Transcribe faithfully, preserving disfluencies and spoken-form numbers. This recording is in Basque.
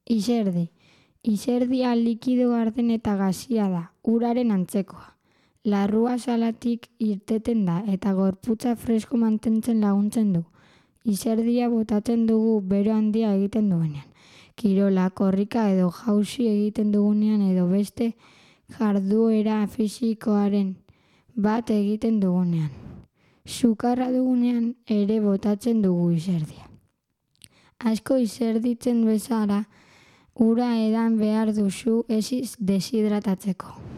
Iserdi. Iserdia likido garden eta gazia da, uraren antzekoa. Larrua salatik irteten da eta gorputza fresko mantentzen laguntzen du. Iserdia botatzen dugu bero handia egiten duenean. Kirola, korrika edo jauzi egiten dugunean edo beste jarduera fisikoaren bat egiten dugunean. Sukarra dugunean ere botatzen dugu iserdia. Asko iserditzen bezala, ura edan behar duzu ez deshidratatzeko.